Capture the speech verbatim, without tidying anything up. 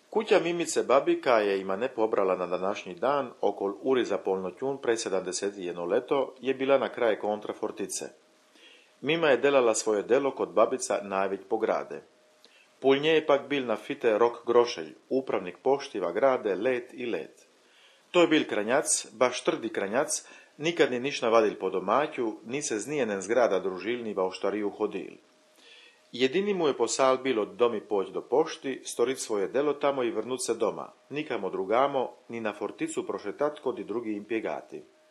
Kuća Mimice Babika je ima ne pobrala na današnji dan, okol uri za polnotjun pred sedamdeset jedno leto, je bila na kraj kontra fortice. Mima je delala svoje delo kod babica najveć po grade. Pul nje je pak bil na fite Rok Grošelj, upravnik poštiva grade let i let. To je bil kranjac, baš trdi kranjac, nikad ni niš navadil po domaću, ni se z nijenen zgrada družil ni va u štariju hodil. Jedini mu je posal bilo domi poć do pošti, storit svoje delo tamo i vrnut se doma, nikamo drugamo, ni na forticu prošetat kod i drugi impjegati.